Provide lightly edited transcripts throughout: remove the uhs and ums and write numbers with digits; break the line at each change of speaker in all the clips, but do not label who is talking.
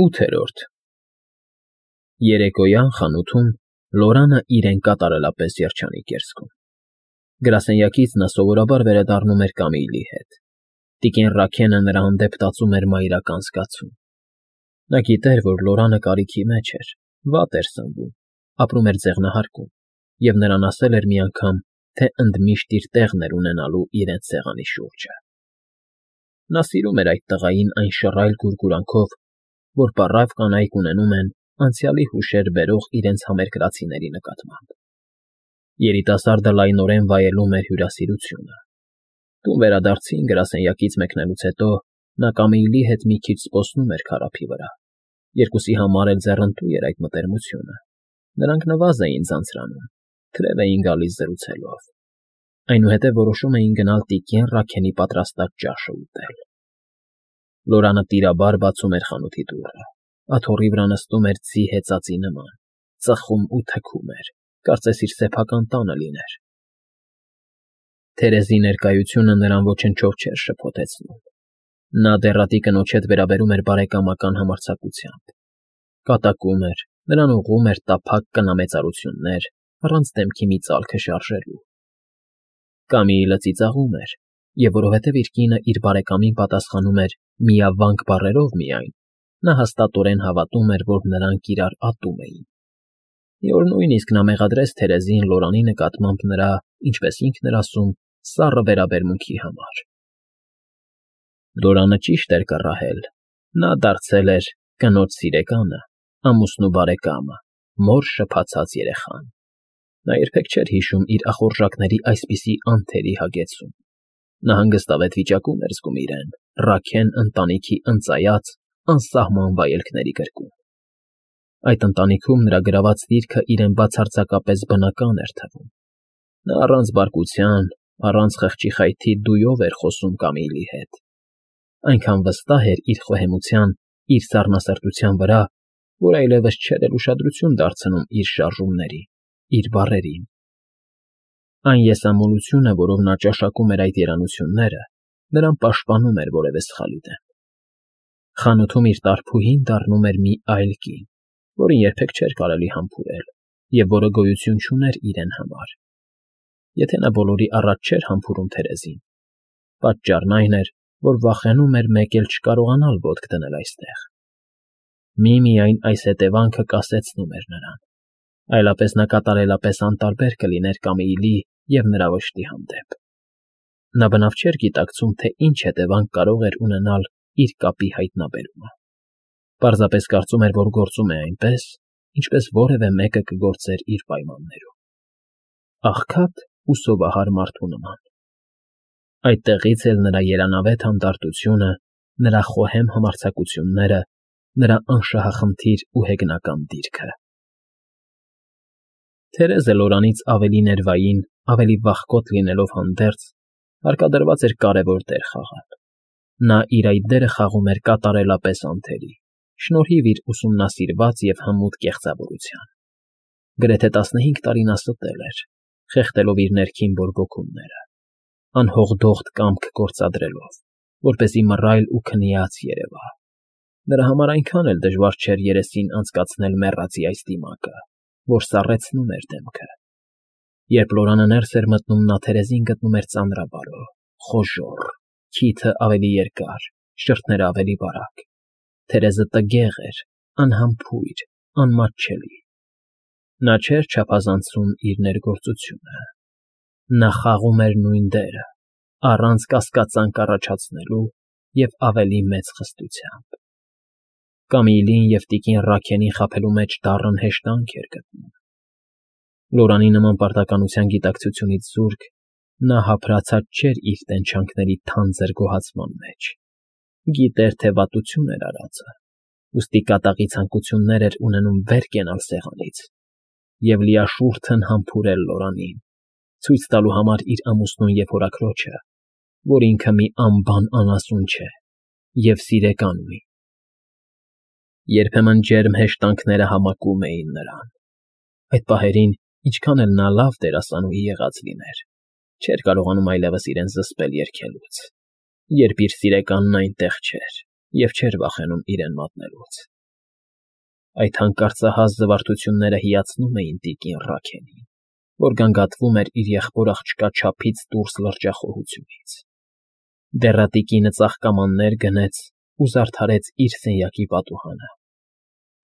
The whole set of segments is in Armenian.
8-րդ Երեկոյան խանութում Լորանը իրեն կատարելապես երջանիկ էր զգում. գրասենյակից նա սովորաբար վերադառնում էր Կամիլի հետ, տիկին Ռաքենը նրա հանդեպ տածում էր մայրական զգացում. նա գիտեր, որ Լորանը կարիքի մեջ էր, վատ էր սնվում, ապրում էր ձեղնահարկում, և նրան ասել էր մի անգամ, թե ընդմիշտ իր տեղն էր ունենալու իրենց սեղանի շուրջը. նա սիրում էր այդ տղային այն շռայլ գուրգուրանքով, որ պառավ կանայք ունենում են անցյալի հուշեր բերող իրենց համերկրացիների նկատմամբ. Երիտասարդը լայնորեն վայելում էր հյուրասիրությունը. տուն վերադարձին գրասենյակից մեկնելուց հետո նա Կամիլի հետ մի քիչ զբոսնում էր քարափի վրա, երկուսի համար էլ ձեռնտու էր այդ մտերմությունը, նրանք նվազ էին ձանձրանում, թրև էին գալիս զրուցելով, այնուհետև որոշում էին գնալ տիկին Ռաքենի պատրաստած ճաշը ուտել. Լորանը տիրաբար բացում էր խանութի դուռը, աթոռի վրա նստում էր ձի հեծածի նման, ծխում ու թքում էր, կարծես իր սեփական տանը լիներ. Թերեզի ներկայությունը նրան ոչնչով չէր շփոթեցնում. նա դեռատի կնոջ հետ վերաբերում էր բարեկամական համարձակությամբ, կատակում էր, նրան ուղղում էր տափակ կնամեծարություններ, առանց դեմքի մի ծալքը շարժելու. Կամիլը ծիծաղում էր, և որովհետև իր կինը իր բարեկամին պատասխանում էր միավանք բառերով միայն, նա հաստատորեն հավատում էր, որ նրանք իրար ատում էին. մի օր նույնիսկ նա մեղադրեց Թերեզին Լորանի նկատմամբ նրա, ինչպես ինքն էր ասում, սառը վերաբերմունքի համար. Լորանը ճիշտ էր կռահել, նա դարձել էր կնոջ սիրեկանը, ամուսնու բարեկամը, մոր շփացած երեխան. նա երբեք չէր հիշում իր ախորժակների այսպիսի անթերի հագեցում, նա հանգստավետ վիճակում էր զգում իրեն, Ռաքեն ընտանիքի ընծայած, անսահման վայելքների գրկում. այդ ընտանիքում նրա գրաված դիրքը իրեն բացարձակապես բնական էր թվում, նա առանց բարկության, առանց խղճի խայթի դույով էր խոսում Կամիլի հետ, այնքան վստահ էր իր խոհեմության, իր սառնասրտության վրա, որ այլևս չէր էլ ուշադրություն դարձնում իր շարժումներին, իր բառերին. այն եսամոլությունը, որով նա ճաշակում էր այդ երանությունները, նրան պաշտպանում էր որևէ սխալի դեմ. խանութում իր տարփուհին դառնում էր մի այլ կին, որին երբեք չէր կարելի համբուրել և որը գոյություն չուներ իրեն համար. եթե նա բոլորի առաջ չէր համբուրում Թերեզին, պատճառն այն էր, որ վախենում էր մեկ էլ չկարողանալ ոտք դնել այստեղ. միմիայն այս հետևանքը կասեցնում էր նրան, այլապես նա կատարելապես անտարբեր կլիներ Կամիլի և նրա վշտի հանդեպ. նա բնավ չէր գիտակցում, թե ինչ հետևանք կարող էր ունենալ իր կապի հայտնաբերումը, պարզապես կարծում էր, որ գործում է այնպես, ինչպես որևէ մեկը կգործեր իր պայմաններում. աղքատ ու սովահար մարդու նման. այդտեղից էլ նրա երանավետ հանդարտությունը, նրա խոհեմ համարձակությունները, նրա անշահախնդիր ու հեգնական դիրքը. Թերեզը Լորանից ավելի ներվային, ավելի վախկոտ լինելով հանդերձ, հարկադրված էր կարևոր դեր խաղալ. նա իր այդ դերը խաղում էր կատարելապես անթերի, շնորհիվ իր ուսումնասիրված և հմուտ կեղծավորության. գրեթե 15 տարի նա ստել էր, խեղդելով իր ներքին բորբոքումները, անհողդողդ կամք գործադրելով, որպեսզի մռայլ ու քնիած երևա. նրա համար այնքան էլ դժվար չէր երեսին անցկացնել մեռածի այս դիմակը, որ սառեցնում էր դեմքը. երբ Լորանը ներս էր մտնում, նա Թերեզին գտնում էր ծանրաբարո, խոժոռ, քիթը ավելի երկար, շրթները ավելի բարակ. Թերեզը տգեղ էր, անհամբույր, անմատչելի. նա չէր չափազանցում իր ներգործությունը, նա խաղում էր նույն դերը, առանց կասկածանք առաջացնելու և ավելի մեծ խստությամբ. Կամիլին և տիկին Ռաքենին խաբելու մեջ դառն հեշտանք էր գտնում. Լորանի նման պարտականության գիտակցությունից զուրկ, նա հափրացած չէր իր տենչանքների թանձր գոհացման մեջ, գիտեր, թե վատություն էր արածը, ուստի կատաղի ցանկություններ էր ունենում վեր կենալ սեղանից և լիաշուրթն համբուրել Լորանին, ցույց տալու համար իր ամուսնուն և հորաքրոջը, որ ինքը մի անբան անասուն չէ և սիրեկան ունի. երբեմն ջերմ հեշտանքները համակում էին նրան. այդ պահերին, ինչքան էլ նա լավ դերասանուհի եղած լիներ, չէր կարողանում այլևս իրեն զսպել երգելուց, երբ իր սիրեկանն այնտեղ չէր և չէր վախենում իրեն մատնելուց. Այդ հանկարծահաս զվարթությունները հիացնում էին տիկին Ռաքելին, որ գանգատվում էր իր եղբոր աղջկա չափից դուրս լրջախոհությունից։ Դեռատիկինը ծաղկամաններ գնեց ու զարդարեց իր սենյակի պատուհանը։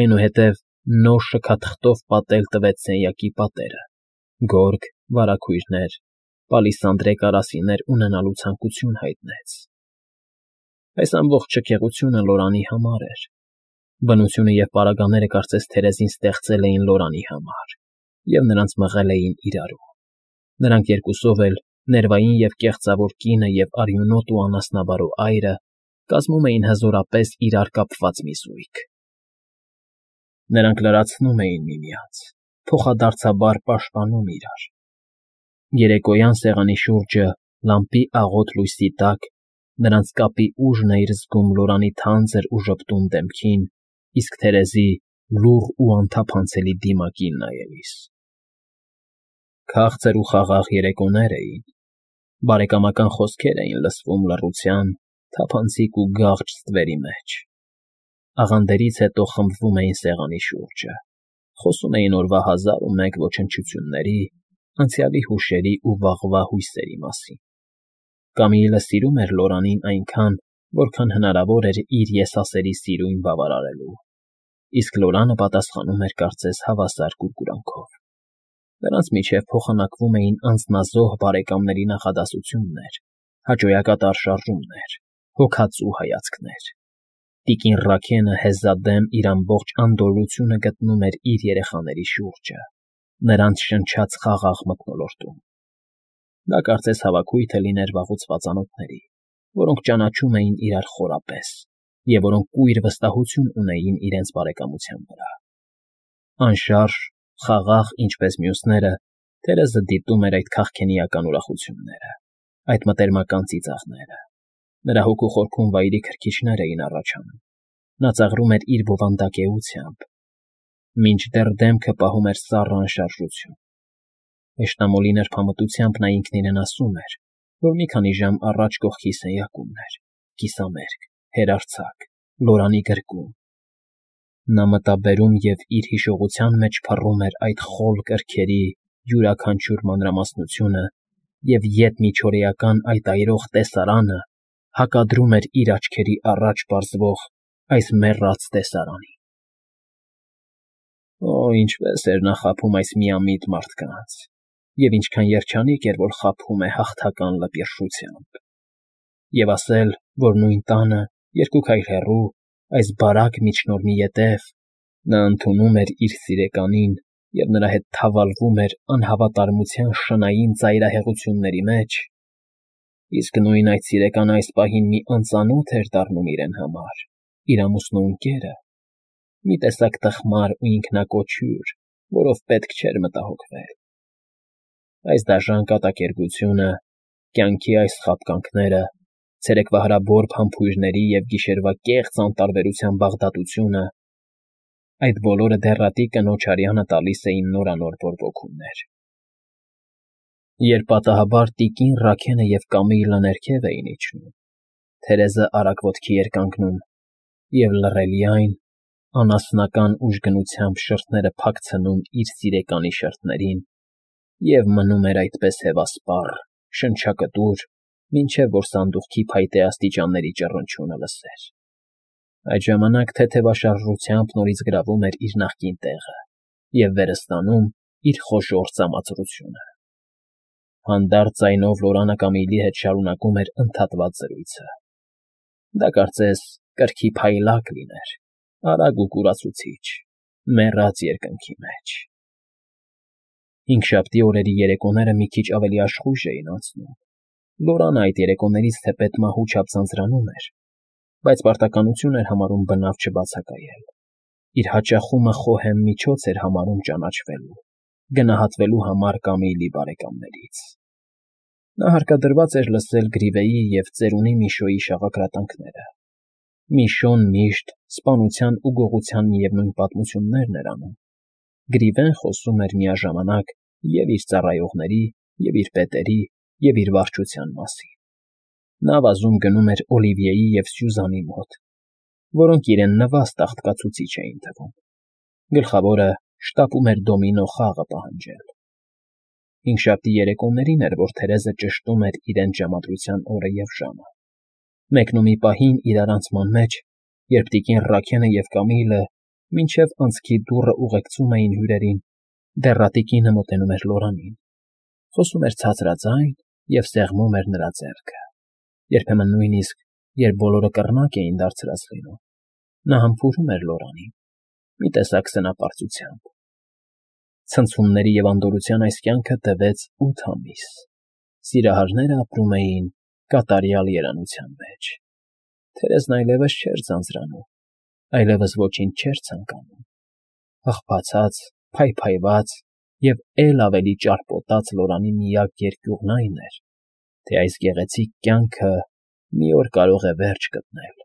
Այնուհետև նոր շքաթղթով պատել տվեց սենյակի պատերը, գորգ, վարագույրներ, պալիսանդրե կարասիներ ունենալու ցանկություն հայտնեց։ Այս ամբողջ շքեղությունը Լորանի համար էր։ Բնությունը և պարագաները կարծես թերեզին ստեղծել էին Լորանի համար և նրանց մղել էին իրարու։ Նրանք երկուսով էլ, ներվային և կեղծավոր կինը և արյունոտ ու անասնաբարո այրը, կազմում էին հզորապես իրար կապված մի զույգ։ Նրանք լրացնում էին միմյանց, փոխադարձաբար պաշտպանում իրար։ Երեկոյան սեղանի շուրջը, լամպի աղոտ լույսի տակ, նրանց կապի ուժն էր զգում Լորանի թանձր ու ժպտուն դեմքին, իսկ Թերեզի լուռ ու անթափանցելի դիմակին նայելիս։ Քաղցր ու խաղաղ երեկոներ էին, բարեկամական խոսքեր էին լսվում լռության, թափանցիկ ու գաղջ ստվերի մեջ։ Աղանդերից հետո խմբվում էին սեղանի շուրջը, խոսում էին օրվա հազար ու մեկ ոչնչությունների, անցյալի հուշերի ու վաղվա հույսերի մասին։ Կամիլը սիրում էր Լորանին այնքան, որքան հնարավոր էր իր եսասերի սիրուն բավարարելու, իսկ Լորանը պատասխանում էր կարծես հավասար կուրկուրանքով։ Նրանց միջև փոխանակվում էին անձնազոհ բարեկամների նախադասություններ, հաճոյակատար շարժումներ, հոգածու հայացքներ։ Տիկին Ռաքենը հեզադեմ իր ամբողջ անդորրությունը գտնում էր իր երեխաների շուրջը, նրանց շնչած խաղաղ մթնոլորտում։ Դա կարծես հավաքույթ է լիներ վաղուց ծանոթների, որոնք ճանաչում էին իրար խորապես և որոնք կույր վստահություն ունեին իրենց բարեկամության վրա։ Անշարժ, խաղաղ, ինչպես մյուսները, Թերեզը դիտում էր այդ քաղքենիական ուրախությունները, այդ մտերմական ծիծաղները։ Նրա հոգու խորքում վայրի քրքիջներ էին առաջանում։ Նա ծաղրում էր իր բովանդակեությամբ, մինչդեռ դեմքը պահում էր սառը անշարժություն։ Հեշտամոլի նրբամտությամբ նա ինքն իրեն ասում էր, որ մի քանի ժամ առաջ կողքի սենյակումն էր, կիսամերկ, հերարձակ, Լորանի գրկում։ Նա մտաբերում և իր հիշողության մեջ փռում էր այդ խոլ կրքերի յուրաքանչյուր մանրամասնությունը և ետմիջօրեական այդ այրող տեսարանը հակադրում էր իր աչքերի առաջ պարզվող այս մեռած տեսարանին։ Օ, ինչպես էր նա խաբում այս միամիտ մարդկանց, և ինչքան երջանիկ էր, որ խաբում է հաղթական լպիրշությամբ։ Եվ ասել, որ նույն տանը, երկու քայլ հեռու, այս բարակ միջնորմի ետև, նա ընդունում էր իր սիրեկանին և նրա հետ թավալվում էր անհավատարմության շնային ծայրահեղությունների մեջ, իսկ նույն այդ սիրեկանը այս պահին մի անծանոթ էր դառնում իրեն համար, իր ամուսնու ընկերը, մի տեսակ տխմար ու ինքնակոչ հյուր, որով պետք չէր մտահոգվել։ Այս դաժան կատակերգությունը, կյանքի այս խաբկանքները, ցերեկվա հրաբոր փամփուշտների և գիշերվա կեղծ անտարբերության բաղդատությունը, այդ բոլորը դեռատի կնոջ արյանը տալիս էին նորանոր բորբոքումներ։ Երբ պատահաբար տիկին Ռաքենը և Կամիլը ներքև էին իջնում, Թերեզը արագ ոտքի էր կանգնում և լռելի այն, անասնական ուժգնությամբ շրթները փակցնում իր սիրեկանի շրթերին և մնում էր այդպես հևասպառ, շնչակտուր, մինչև որ սանդուղքի փայտե աստիճանների ճռնչյունը լսեր։ Այդ ժամանակ թեթևաշարժությամբ նորից գրավում էր իր նախկին տեղը և վերը ստանում իր խոշոր ծամածրությունը։ Հանդարտ ձայնով Լորանը Կամիլի հետ շարունակում էր ընդհատված զրույցը։ Դա կարծես կրքի փայլակ լիներ, արագ ու կուրացուցիչ, մեռած երկնքի մեջ։ Հինգշաբթի օրերի երեկոները մի քիչ ավելի աշխույժ էին անցնում։ Լորանը այդ երեկոներից թեպետ մահու չափ ձանձրանում էր, բայց պարտականություն էր համարում բնավ չբացակայել։ Իր հաճախումը խոհեմ միջոց էր համարում ճանաչվելու, գնահատվելու համար Կամիլի բարեկամներից։ Նա հարկադրված էր լսել Գրիվեի և ծերունի Միշոյի շաղակրատանքները։ Միշոն միշտ սպանության ու գողության միևնույն պատմություններն էր անում։ Գրիվեն խոսում էր միաժամանակ և իր ծառայողների, և իր պետերի, և իր վարչության մասին։ Նա վազում գնում էր Օլիվիեի և Սյուզանի մոտ, որոնք իրեն նվաստ աղտկացուցիչ էին թվում։ Գլխավորը շտապում էր դոմինո խաղը պահանջել։ Հինգշաբթի երեկոներին էր, որ Թերեզը ճշտում էր իրենց ժամադրության օրը և ժամը, մեկն ու մի պահին իրարանցման մեջ, երբ տիկին Ռաքենը և Կամիլը մինչև անցքի դուռը ուղեկցում էին հյուրերին, դեռ Ատիկինը մոտենում էր Լորանին, խոսում էր ցածրաձայն և սեղմում էր նրա ձեռքը, երբեմն նույնիսկ, երբ բոլորը կռնակ էին դարձրած լինում, նա համբուրում էր Լորանին, մի տեսակ սնապարծությամբ։ Ցնցումների և անդորրության այս կյանքը տևեց 8 ամիս, սիրահարները ապրում էին կատարյալ երանության մեջ։ Թերեզն այլևս չէր ձանձրանում, այլևս ոչինչ չէր ցանկանում։ Աղբացած, փայփայված և էլ ավելի ճարպոտած Լորանի միակ երկյուղն այն էր, թե այս գեղեցիկ կյանքը մի օր կարող է վերջ գտնել։